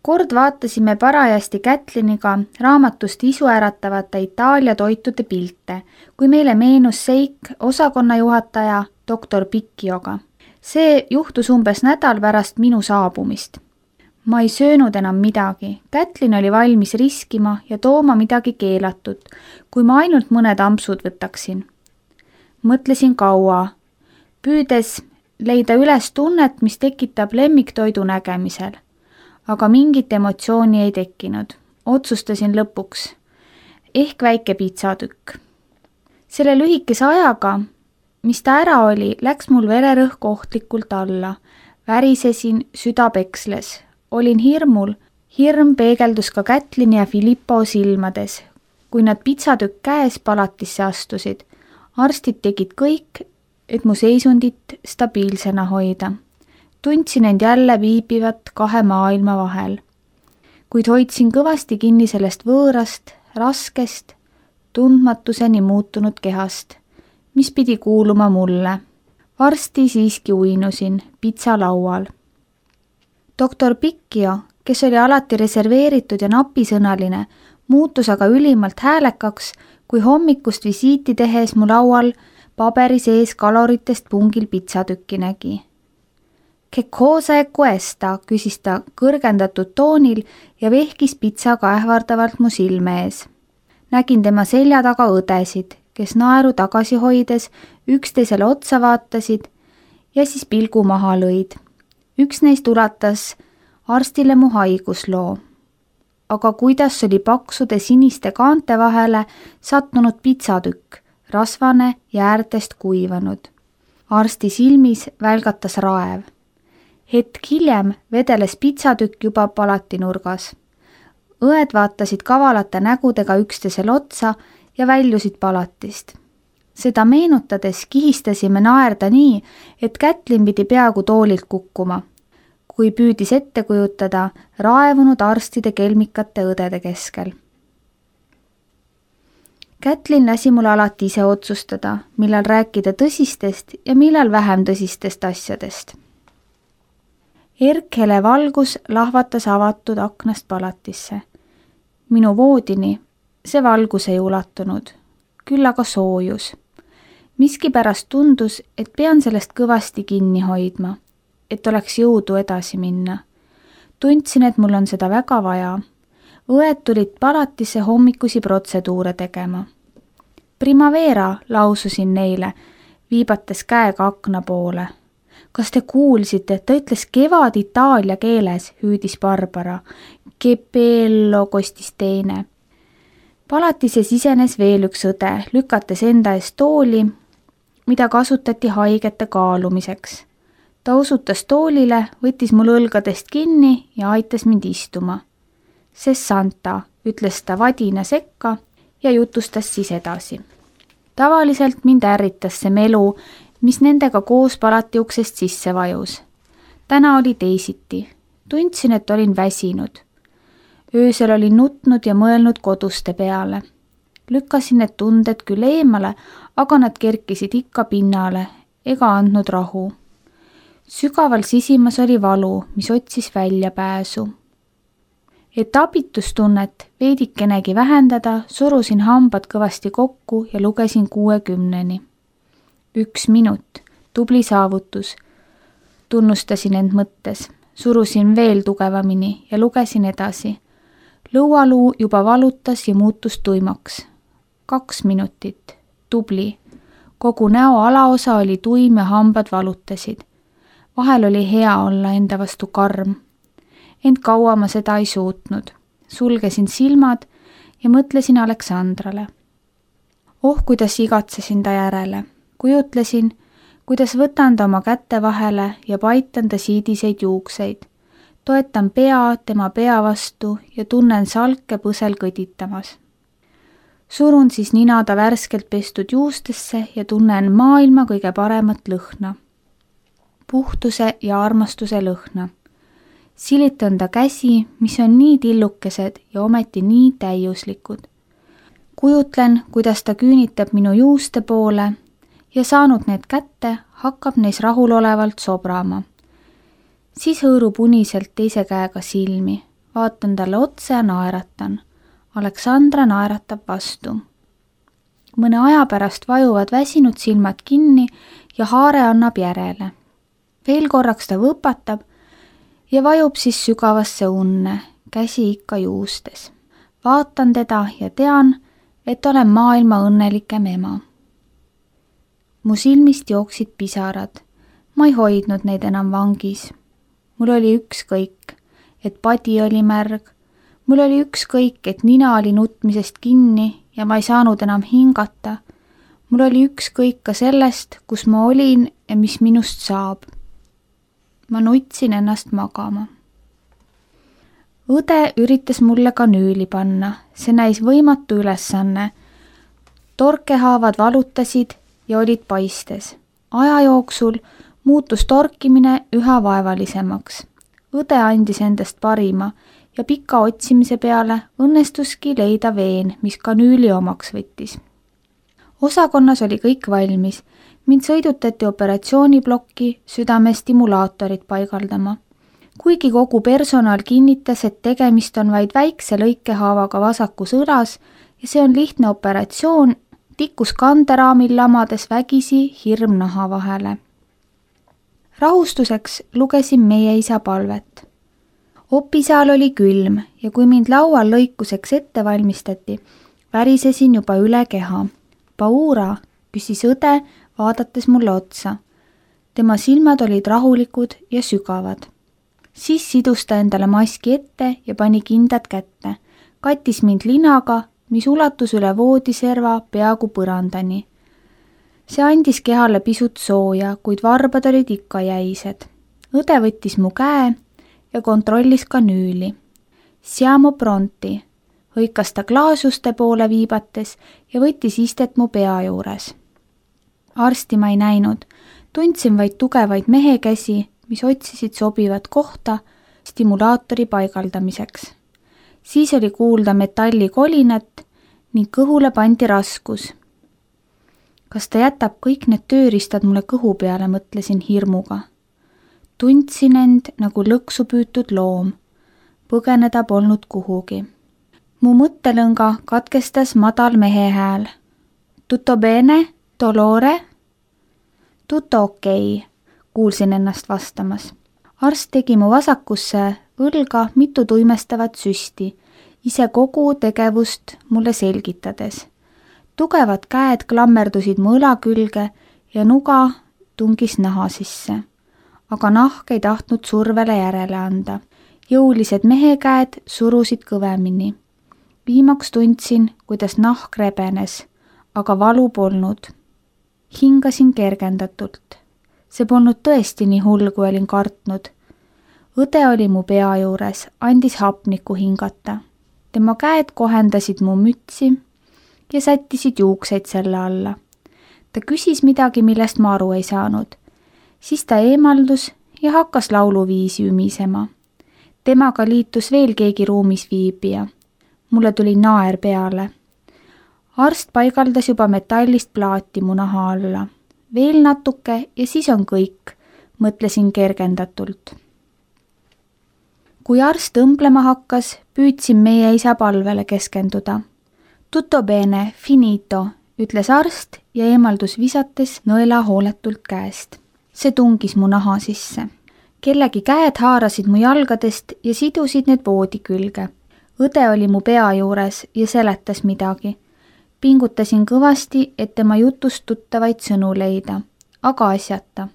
Kord vaatasime parajasti Kätliniga raamatust isuäratavate Itaalia toitude pilte, kui meile meenus seik osakonnajuhataja doktor Pikkioga. See juhtus umbes nädal pärast minu saabumist. Ma ei söönud enam midagi. Kätlin oli valmis riskima ja tooma midagi keelatud, kui ma ainult mõned ampsud võtaksin. Mõtlesin kaua, püüdes leida üles tunnet, mis tekitab lemmiktoidu nägemisel. Aga mingit emotsiooni ei tekkinud. Otsustasin lõpuks. Ehk väike pizzatükk. Selle lühikese ajaga, mis ta ära oli, läks mul vererõhk ohtlikult alla. Värisesin, süda peksles. Olin hirmul. Hirm peegeldus ka Kätlini ja Filippo silmades, kui nad pizzatükk käes palatisse astusid. Arstid tegid kõik, et mu seisundit stabiilsena hoida. Tundsin end jälle viibivat kahe maailma vahel, kuid hoidsin kõvasti kinni sellest võõrast, raskest, tundmatuseni muutunud kehast, mis pidi kuuluma mulle. Varsti siiski uinusin pizzalaual. Doktor Pikkio, kes oli alati reserveeritud ja napisõnaline, muutus aga ülimalt häälekaks, kui hommikust visiiti tehes mu laual paberi sees kaloritest pungil pizzatükki nägi. Che cosa è questa, küsis ta kõrgendatud toonil ja vehkis pitsaga ähvardavalt mu silme ees. Nägin tema selja taga õdesid, kes naeru tagasi hoides üksteisele otsa vaatasid ja siis pilgu maha lõid. Üks neist ulatas arstile mu haigusloo. Aga kuidas oli paksude siniste kaante vahele sattunud pizzatükk, rasvane ja äärtest kuivanud. Arsti silmis välgatas raev. Hetk hiljem vedeles pizzatükk juba palatinurgas. Õed vaatasid kavalate nägudega üksteisel otsa ja väljusid palatist. Seda meenutades kihistasime naerda nii, et Kätlin pidi peaaegu toolilt kukkuma, kui püüdis ette kujutada raevunud arstide kelmikate õdede keskel. Kätlin lasi mul alati ise otsustada, millal rääkida tõsistest ja millal vähem tõsistest asjadest. Erkhele valgus lahvatas avatud aknast palatisse. Minu voodini see valgus ei ulatunud, küll aga soojus. Miskipärast tundus, et pean sellest kõvasti kinni hoidma, et oleks jõudu edasi minna. Tundsin, et mul on seda väga vaja. Õed tulid palatisse hommikusi protseduure tegema. Primavera, laususin neile, viibates käega akna poole. Kas te kuulsite, et ta ütles kevad itaalia keeles, hüüdis Barbara. Che bello, kostis teine. Palatisse sisenes veel üks õde, lükates enda eest tooli, mida kasutati haigete kaalumiseks. Ta osutas toolile, võttis mul õlgadest kinni ja aitas mind istuma. Sessanta, ütles ta vadina sekka ja jutustas siis edasi. Tavaliselt mind ärritas see melu, mis nendega koos palati uksest sisse vajus. Täna oli teisiti. Tundsin, et olin väsinud. Öösel olin nutnud ja mõelnud koduste peale. Lükkasin need tunded küll eemale, aga nad kerkisid ikka pinnale ega andnud rahu. Sügaval sisimas oli valu, mis otsis väljapääsu. Et abitustunnet veidikenegi vähendada, surusin hambad kõvasti kokku ja lugesin 60. 1 minut, tubli saavutus. Tunnustasin end mõttes, surusin veel tugevamini ja lugesin edasi. Lõualuu juba valutas ja muutus tuimaks. 2 minutit, tubli. Kogu näo alaosa oli tuim ja hambad valutasid. Vahel oli hea olla enda vastu karm. Ent kaua ma seda ei suutnud. Sulgesin silmad ja mõtlesin Aleksandrale. Kuidas igatsesin ta järele. Kujutlesin, kuidas võtan ta oma kätte vahele ja paitan ta siidiseid juukseid. Toetan pea tema pea vastu ja tunnen salke põsel kõditamas. Surun siis nina ta värskelt pestud juustesse ja tunnen maailma kõige paremat lõhna. Puhtuse ja armastuse lõhna. Silitan ta käsi, mis on nii tillukesed ja ometi nii täiuslikud. Kujutlen, kuidas ta küünitab minu juuste poole ja saanud need kätte, hakkab neis rahulolevalt sobrama. Siis hõõrub uniselt teise käega silmi, vaatan talle otsa ja naeratan. Aleksandra naeratab vastu. Mõne aja pärast vajuvad väsinud silmad kinni ja haare annab järele. Veel korraks ta võpatab ja vajub siis sügavasse unne, käsi ikka juustes. Vaatan teda ja tean, et olen maailma õnnelikem ema. Mu silmist jooksid pisarad. Ma ei hoidnud neid enam vangis. Mul oli ükskõik, et padi oli märg. Mul oli ükskõik, et nina oli nutmisest kinni ja ma ei saanud enam hingata. Mul oli ükskõik ka sellest, kus ma olin ja mis minust saab. Ma nutsin ennast magama. Õde üritas mulle kanüüli panna. See näis võimatu ülesanne. Torkehaavad valutasid ja olid paistes. Aja jooksul muutus torkimine üha vaevalisemaks. Õde andis endast parima ja pika otsimise peale õnnestuski leida veen, mis kanüüli omaks võttis. Osakonnas oli kõik valmis. Mind sõidutati operatsiooniplokki südamestimulaatorit paigaldama. Kuigi kogu personal kinnitas, et tegemist on vaid väikse lõikehaavaga vasakus õlas ja see on lihtne operatsioon, tikkus kanderaamil lamades vägisi hirm naha vahele. Rahustuseks lugesin meie isa palvet. Opisaal oli külm ja kui mind laual lõikuseks ette valmistati, värisesin juba üle keha. Paura, küsis õde, vaadates mulle otsa. Tema silmad olid rahulikud ja sügavad. Siis sidus ta endale maski ette ja pani kindad kätte. Kattis mind linaga, mis ulatus üle voodiserva peaaegu põrandani. See andis kehale pisut sooja, kuid varbad olid ikka jäised. Õde võttis mu käe ja kontrollis kanüüli. Siamo pronti, hõikas ta klaasuste poole viibates ja võttis istet mu pea juures. Arsti ma ei näinud, tundsin vaid tugevaid mehekäsi, mis otsisid sobivat kohta stimulaatori paigaldamiseks. Siis oli kuulda metalli kolinat ning kõhule pandi raskus. Kas ta jätab kõik need tööriistad mulle kõhu peale, mõtlesin hirmuga. Tundsin end nagu lõksu püütud loom. Põgeneda polnud kuhugi. Mu mõttelõnga katkestas madal mehe hääl. Tutto bene, dolore? Tutto okei, kuulsin ennast vastamas. Arst tegi mu vasakusse õlga mitu tuimestavat süsti, ise kogu tegevust mulle selgitades. Tugevad käed klammerdusid mu õla külge ja nuga tungis naha sisse. Aga nahk ei tahtnud survele järele anda. Jõulised mehekäed surusid kõvemini. Viimaks tundsin, kuidas nahk rebenes, aga valu polnud. Hingasin kergendatult. See polnud tõesti nii hull, kui olin kartnud. Õde oli mu pea juures, andis hapnikku hingata. Tema käed kohendasid mu mütsi ja sättisid juukseid selle alla. Ta küsis midagi, millest ma aru ei saanud. Siis ta eemaldus ja hakkas lauluviisi ümisema. Temaga liitus veel keegi ruumis viibija. Mulle tuli naer peale. Arst paigaldas juba metallist plaati mu naha alla. Veel natuke ja siis on kõik, mõtlesin kergendatult. Kui arst õmblema hakkas, püüdsin meie isa palvele keskenduda. Tutto bene, finito, ütles arst ja eemaldus visates nõela hooletult käest. See tungis mu naha sisse. Kellegi käed haarasid mu jalgadest ja sidusid need voodi külge. Õde oli mu pea juures ja seletas midagi. Pingutasin kõvasti, et tema jutust tuttavaid sõnu leida, aga asjata.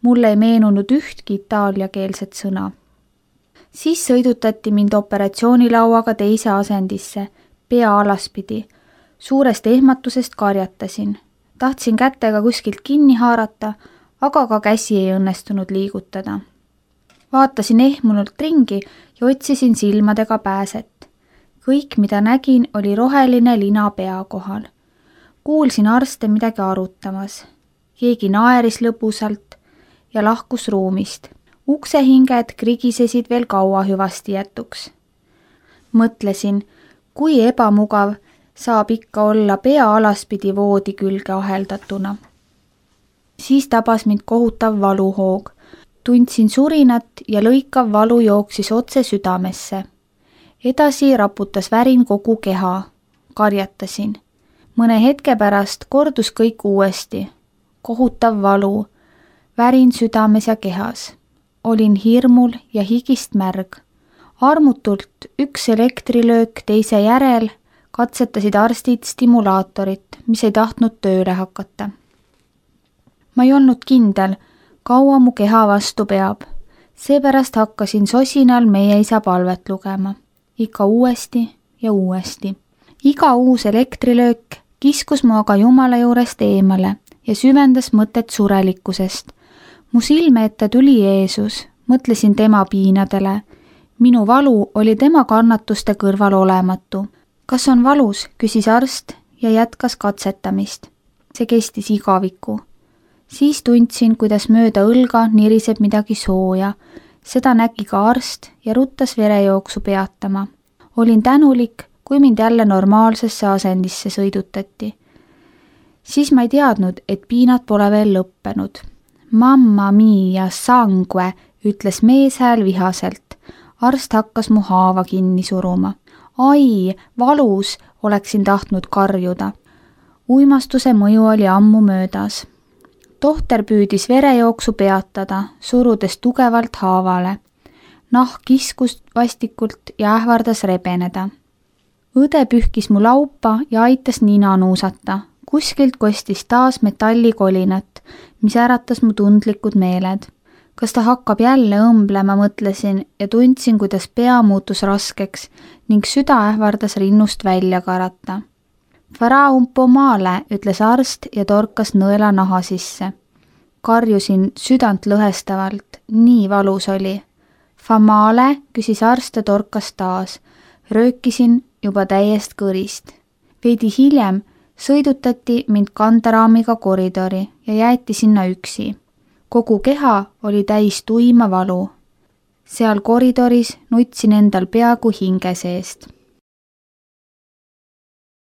Mulle ei meenunud ühtki itaaliakeelset sõna. Siis sõidutati mind operatsioonilauaga teise asendisse, pea alaspidi. Suurest ehmatusest karjatasin. Tahtsin kätega kuskilt kinni haarata, aga ka käsi ei õnnestunud liigutada. Vaatasin ehmunult ringi ja otsisin silmadega pääset. Kõik, mida nägin, oli roheline lina pea kohal. Kuulsin arste midagi arutamas. Keegi naeris lõbusalt ja lahkus ruumist. Uksehinged krigisesid veel kaua hüvasti jätuks. Mõtlesin, kui ebamugav saab ikka olla pea alaspidi voodi külge aheldatuna. Siis tabas mind kohutav valuhoog. Tundsin surinat ja lõikav valu jooksis otse südamesse. Edasi raputas värin kogu keha. Karjatasin. Mõne hetke pärast kordus kõik uuesti. Kohutav valu. Värin südames ja kehas. Olin hirmul ja higist märg. Armutult üks elektrilöök teise järel katsetasid arstid stimulaatorit, mis ei tahtnud tööle hakata. Ma ei olnud kindel, kaua mu keha vastu peab. Seepärast hakkasin sosinal meie isa palvet lugema. Ikka uuesti ja uuesti. Iga uus elektrilöök kiskus mu aga Jumala juurest eemale ja süvendas mõtet surelikkusest. Mu silme ette tuli Jeesus, mõtlesin tema piinadele. Minu valu oli tema kannatuste kõrval olematu. Kas on valus, küsis arst ja jätkas katsetamist. See kestis igaviku. Siis tundsin, kuidas mööda õlga niriseb midagi sooja. Seda nägi ka arst ja ruttas verejooksu peatama. Olin tänulik, kui mind jälle normaalsesse asendisse sõidutati. Siis ma ei teadnud, et piinad pole veel lõppenud. Mamma mia sangue, ütles meeshääl vihaselt. Arst hakkas mu haava kinni suruma. Ai, valus, oleksin tahtnud karjuda. Uimastuse mõju oli ammu möödas. Tohter püüdis verejooksu peatada, surudes tugevalt haavale. Nahk kiskus vastikult ja ähvardas rebeneda. Õde pühkis mu laupa ja aitas nina nuusata. Kuskilt kostis taas metallikolinat, mis äratas mu tundlikud meeled. Kas ta hakkab jälle õmblema, mõtlesin ja tundsin, kuidas pea muutus raskeks ning süda ähvardas rinnust välja karata. Fara un po male, ütles arst ja torkas nõela naha sisse. Karjusin südant lõhestavalt, nii valus oli. Famale, küsis arst ja torkas taas. Röökisin juba täiest kõrist. Veidi hiljem sõidutati mind kanderaamiga koridori ja jäeti sinna üksi. Kogu keha oli täis tuima valu. Seal koridoris nutsin endal peaaegu hinge seest.